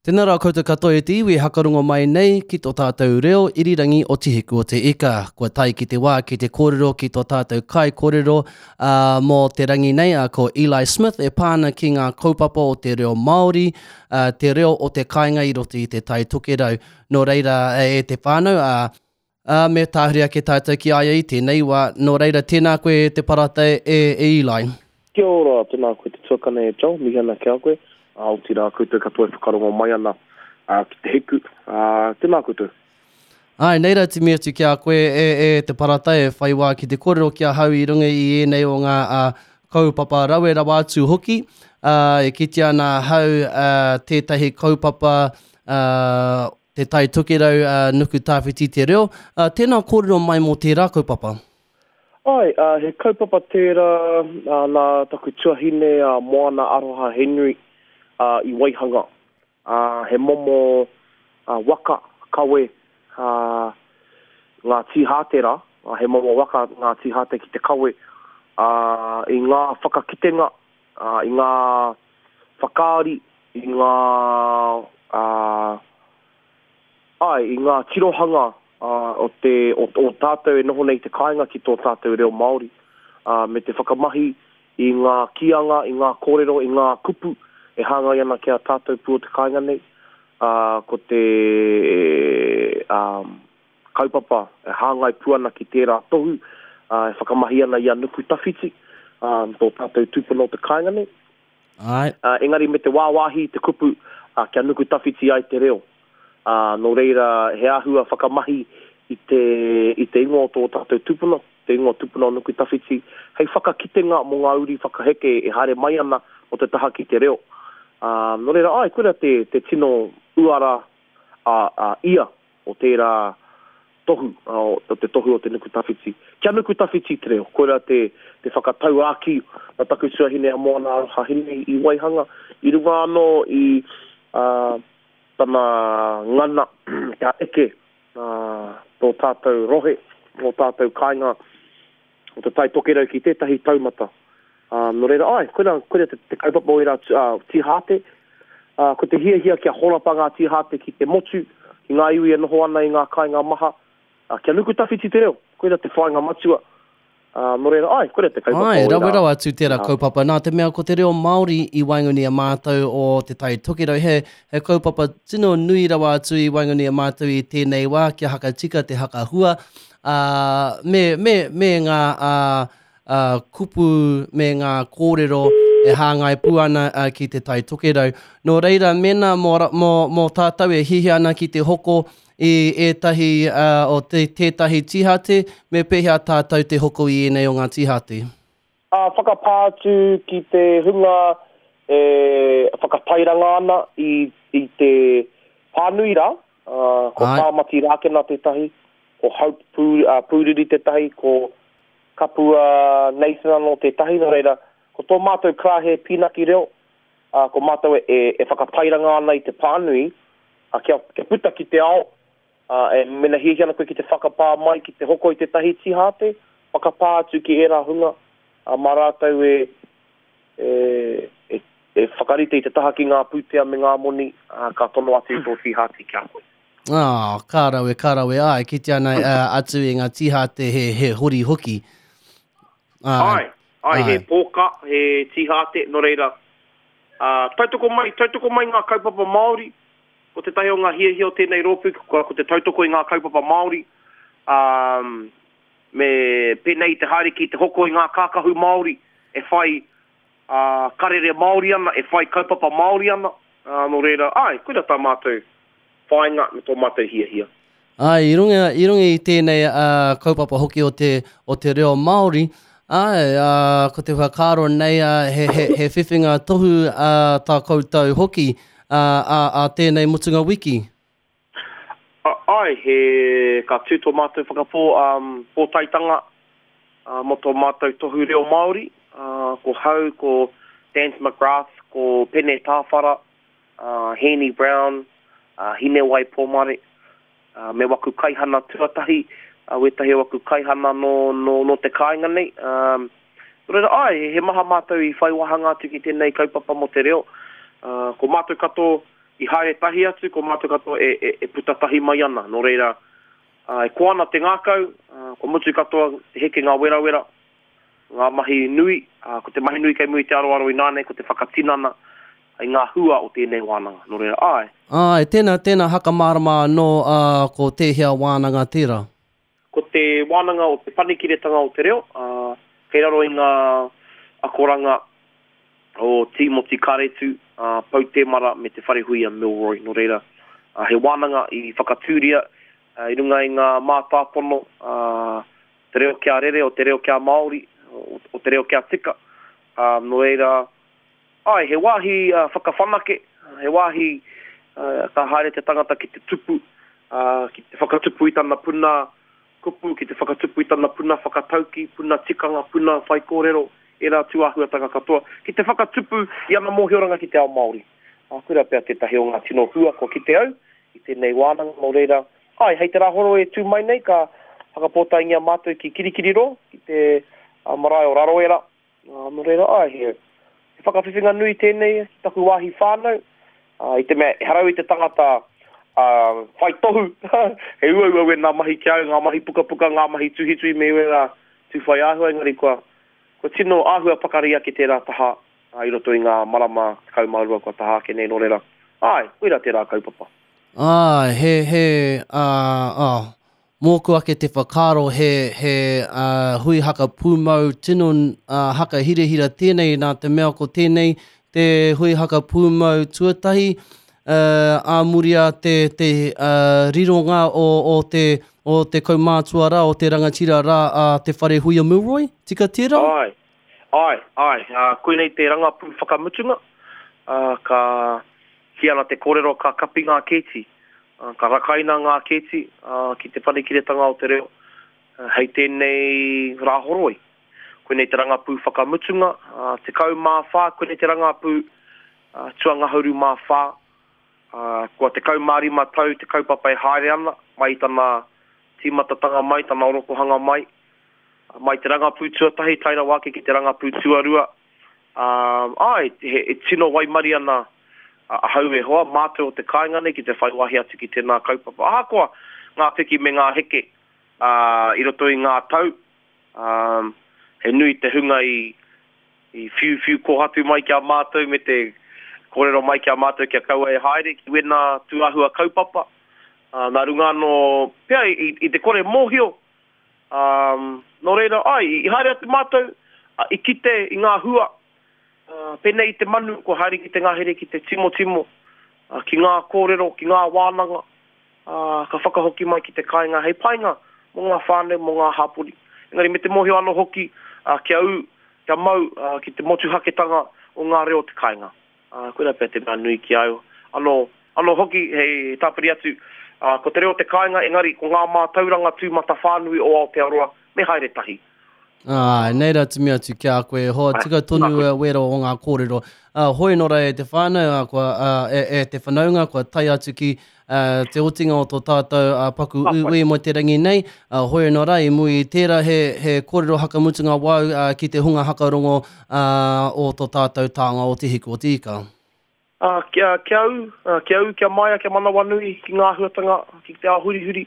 Tēnā rā koutou katoa e te iwi e hakarongo mai nei ki tō tātou reo irirangi o Te Hiku o Te Ika. Kua tae ki te wā ki te kōrero ki tō tātou kaikōrero ā, mō te rangi nei, ā, ko Eli Smith e pā ana ki ngā kaupapa o te reo Māori, ā, te reo o te kāinga i roto i te Tai Tokerau. Nō reira, e te whānau, ā, Ā, me tāhuri ake tātou ki a ia i tēnei wā. Nō reira, tēnā koe e te parata e, e Eli. Kia ora, tēnā koe te tuakana e Joel, mihi ana ki a koe, ā, otirā koutou katoa e whakarongo mai ana ki te hiku, ā, tēnā koutou. Āe, nei rā te mihi atu ki a koe e, e te parata e whai wā ki te kōrero ki ahau i runga i ēnei o ngā, ā, kaupapa rawe rawa atu hoki. Ā, e kitea ana ahau, ā, tētahi kaupapa, ā, Te Tai Tokerau, ā, Nuku Tāwhiti te reo. Ā, tēnā kōrero mai mō tērā kaupapa. Āe, ā, he kaupapa tērā, ā, nā taku tuahine a Moana Aroha Henry, ā, i waihanga. Ā, he momo, ā, waka kawe, ā, ngā tīhāte rā, ā, he momo waka ngā tīhāte ki te kawe, ā, i ngā whakakitenga, ā, i ngā whakaari, i ngā, ā, āe, i ngā tirohanga, ā, o te, o, o tātou e noho nei i te kāinga ki tō tātou reo Māori, ā, me te whakamahi i ngā kīanga, i ngā kōrero, i ngā kupu e hāngai ana ki a tātou pū o te kāinga nei, ā, ko te, ā, kaupapa e hāngai pū ana ki tērā tohu, ā, e whakamahi ana i a Nukutawhiti, ā, tō tātou tūpuna o te kāinga nei. Āe. Ā, engari me te wāwāhi i te kupu, ā, kia nuku tawhiti ai te reo. Ā, nō reira, he āhua whakamahi i te, i te ingoa o tō tātou tupuna, te ingoa tupuna o Nukutawhiti, hei whakakitenga mō ngā uri whakaheke e haere mai ana mō te taha ki te reo. Ā, nō reira, āe, koira te, te tino uara a, a ia o tērā tohu, o te tohu o te nuku tawhiti. Kia nuku tawhiti te reo, koirā te, te whakatauākī na taku tuahine a Moana Aroha Hine i waihanga, i runga anō i uh, tana ngana kia eke uh, tō tātou rohe, tō tātou kāinga o Te Tai Tokerau ki tētahi taumata. Ā, nō reira, āe, koirā, koirā te, te kaupapa o ērā ā, tīhāte. Ā, ko te hiahia kia horapa ngā tīhāte ki te motu, ki ngā iwi e noho ana i ngā kāinga maha, ā, kia nuku tawhiti te reo. Koirā te whāinga matua. Ā, nō reira, āe, koirā te kaupapa Āe, o ērā rawe rawa atu tērā tīhāte. kaupapa. Nā te mea ko te reo Māori i waenganui i a mātou o Te Tai Tokerau, he, he kaupapa tino nui rawa atu i waenganui i a mātou i tēnei wā kia hakatika te hakahua, ā, me, me, me ngā, ā, ā, kupu me ngā kōrero e hāngai pū ana ki Te Tai Tokerau. Nō reira, mēnā mō, mō, mō tātou e hiahia ana ki te hoko i ētahi, ā, o te, tētahi tīhate, me pēhea tātou te hoko i ēnei o ngā tīhate? Ā, whakapā atu ki te hunga e whakatairanga ana i, i te pānui rā, ā, ko Āe. Tāmati Rākena tētahi, ko Hope Pū, ā, Pūriri tētahi, ko Kapua Nathan anō tētahi, nō reira, ko tō mātou karāhe pīnaki reo, ā, ko mātou e, e, e whakatairanga ana i te pānui, ā, kia, kia puta ki te ao, ā, e, mena hiahia ana koe ki te whakapā mai, ki te hoko i tētahi tīhāte, whakapā atu ki ērā hunga, ā, mā rātou e, e, e, e whakarite i te taha ki ngā pūtea me ngā moni, ā, ka tono atu i tō tīhāte ki a koe. Ah, ka rawe, ka rawe. Āe, kitea ana atu i ngā tīhāte he, he hori hoki. Āe, āe, he pōka, he tīhāte, nō reira, ā, tautoko mai, tautoko mai ngā kaupapa Māori, ko tētahi o ngā hiahia o tēnei rōpū, ko, ko te tautoko i ngā kaupapa Māori, ā, me pēnei i te haere ki te hoko i ngā kākahu Māori e whai, ā, karere Māori ana, e whai kaupapa Māori ana, ā, nō reira, āe, koira tā mātou whāinga me tō mātou hiahia. Āe, i runga, i runga i tēnei kaupapa hoki o te, o te reo Māori, āe, ā, ko te whakaaro nei, ā, he, he, he whiwhinga tohu, ā, tā koutou hoki, ā, ā, ā tēnei mutunga wiki. Āe, he, ka tū tō mātou whakapō, ā, pōtaetanga, ā, mō tō mātou tohu reo Māori, ā, ko hau, ko Dance McGrath, ko Pene Tāwhara, a Hēni Brown, a Hinewai Pomare, a me waku kaihana tuatahi, a wētahi o waku kaihana nō, nō, nō te kāinga nei. Ā, nō reira, āe, he maha mātou i whai wāhanga atu ki tēnei kaupapa mō te reo. Ā, ko mātou katoa, I haere tahi atu, ko mātou katoa e, e, e puta tahi mai ana. Nō reira, ā, e koa ana te ngākau, ā, kua mutu katoa te heke ngā werawera, ngā mahi nui, ā, ko te mahi nui kei muri i te aroaro ināianei ko te whakatinana i ngā hua o tēnei wānanga. Nō reira, āe. Āe, tēnā, tēnā hakamārama anō, ā, ko tēhea wānanga tērā? Ko te wānanga o Te Panekiretanga o te Reo, ā, kei raro i ngā akoranga o Tīmoti Kāretu, ā, Pou Temara me Te Wharehuia Milroy. Nō reira, he wānanga i whakatūria i runga i ngā mātāpono, ā, te reo kia rere, o te reo kia Māori, o te reo kia tika. Ā, nō reira, āe, he wāhi whakawhanake, he wāhi ka haere te tangata ki te tupu, ki te whakatupu i tana puna kupu, ki te whakatupu i tana puna whakatauki, puna tikanga, puna whaikōrero, ērā tūāhuatanga katoa, ki te whakatupu i ana mōhioranga ki te ao Māori. Ā, koirā pea tētahi o ngā tino hua kua kite au i tēnei wānanga, nō reira, āe, hei te Rāhoroi e tū mai nei ka whakapōtaengia mātou ki Kirikiriroa, ki te marae o Raroera, Ā, nō reira, āe, he, he whakawhiwhinga nui tēnei ki taku wāhi whānau, ā, i te mea ehara au i te tangata, ā, whai tohu, he uaua wēnā mahi ki a au, ngā mahi pukapuka, ngā mahi tuhituhi me wērā tū whai āhua, engari kua, kua tino āhua pakari ake tērā taha, ā, i roto i ngā marama 12 kua taha ake nei, nō reira, āe, koirā tērā kaupapa. Āe, he, he, ā, ā, Mōku ake te whakaaro he, he hui haka pūmau tino haka hirahira tēnei nā te mea ko tēnei te hui haka pūmau tuatahi ā muri a te, te rironga o, o te, o te kaumātua rā, o te rangatira rā a Te Wharehuia Milroy, tika tērā? Āe, āe, āe, koinei te rangapū whakamutunga, ka kī ana te kōrero ka kapi ngā kēti. Ka rakaina ngā kēti ki Te Panekiretanga o te Reo hei tēnei Rāhoroi. Koinei te rangapū whakamutunga, 14, koinei te rangapū tuangahuru mā whā. Kua 15 tau te kaupapa e haere ana, mai i tana tīmatatanga mai, tana orokohanga mai. Mai te rangapū tuatahi tae rawa ake ki te rangapū tuarua, Ā, āe, he tino waimarie ana ahau e hoa, mātou o te kāinga nei ki te whai wāhi atu ki tēnā kaupapa. Ahakoa ngā piki me ngā heke, ā, i roto i ngā tau, ā, he nui te hunga i, i whiuwhiu kōhatu mai ki a mātou me te kōrero mai ki a mātou kia kaua e haere ki wēnā tūāhua kaupapa. Ā, nā runga anō pea i, i te kore mōhio, Ā, nō reira, āe, i haere atu mātou, ā, i kite i ngā hua, ā, pēnei i te manu kua haere ki te ngahere ki te timotimo, ā, ki ngā kōrero, ki ngā wānanga, ā, ka whakahoki mai ki te kāinga hei painga mō ngā whānau, mō ngā hapori. Engari me te mōhio anō hoki, ā, kia ū, kia mau, ā, ki te motuhaketanga o ngā reo o te kāinga. Ā, koirā pea te mea nui ki a au. Anō, anō hoki, hei tāpiri atu, ā, ko te reo te kāinga, engari ko ngā mātauranga tūmatawhānui o Aotearoa, me haere tahi. Āe, nei rā timi atu ki a koe e hoa, tika tonu ā wera o ngā kōrero. Ā, hoi nō rā e te whānau, ā, kua, ā, e, e te whanaunga, kua tae atu ki, ā, te otinga o tō tātou, ā, paku uiui mō te rangi nei. Ā, hoi anō rā, i muri i tērā he, he kōrero hakamutunga wāu, ā, ki te hunga hakarongo, ā, o tō tātou tānga o Te Hiku o Te Ika. Ā, kia, kia ū, ā, kia ū, kia maia, kia manawanui ki ngā āhuatanga, ki te ao hurihuri,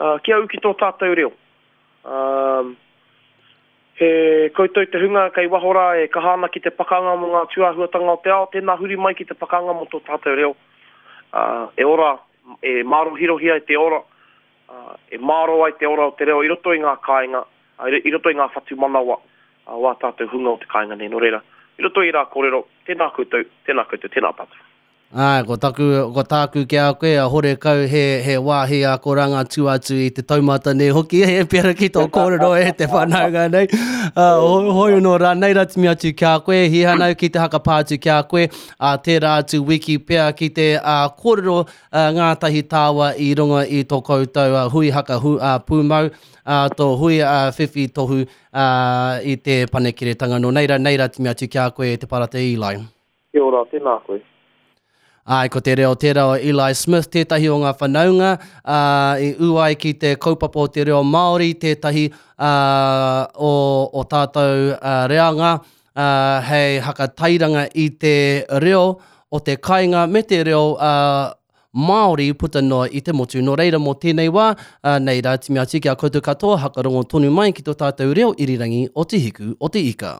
ā, kia ū ki tō tātou reo. Ā, he koutou te hunga kei waho rā e kaha ana ki te pakanga mō ngā tūāhuatanga o te ao, tēnā huri mai ki te pakanga mō tō tātou reo, ā, e ora, e mārohirohi ai te ora, ā, e mārō ai te ora o te reo i roto i ngā kāinga, ā, i roto i ngā whatumanawa o ā tātou hunga o te kāinga nei. Nō reira, i roto i ērā kōrero, tēnā koutou, tēnā koutou, tēnā tātou. Āe, ko taku, ko tāku ki a koe, a horekau he, he wāhi akoranga tū atu i te taumata nei hoki, he pera ki tō kōrero e te whanaunga nei. Uh, hoi anō rā, nei rā timi atu ki a koe, hihanau ki te hakapā atu ki a koe, ā tērā atu wiki pea ki te uh, kōrero uh, ngātahi tāua i runga i tō koutou uh, hui haka hu, uh, pūmau, uh, tō hui uh, whiwhi tohu uh, i te panekiretanga. Nō nei rā, nei rā timi atu ki a koe e te Parata Eli. Kia ora, tēnā koe. Āe, ko te reo tērā o Eli Smith tētahi o ngā whanaunga, ā, i ū ai ki te kaupapa o te reo Māori, tētahi, ā, o, o tātou, ā, reanga, ā, hei hakatairanga i te reo. o te kainga me te reo uh, Māori puta noa i te motu. Nō reira mō tēnei wā, uh, nei rā timi atu ki a koutou katoa, hakarongo tonu mai ki tō tātou reo irirangi o Te Hiku o Te Ika.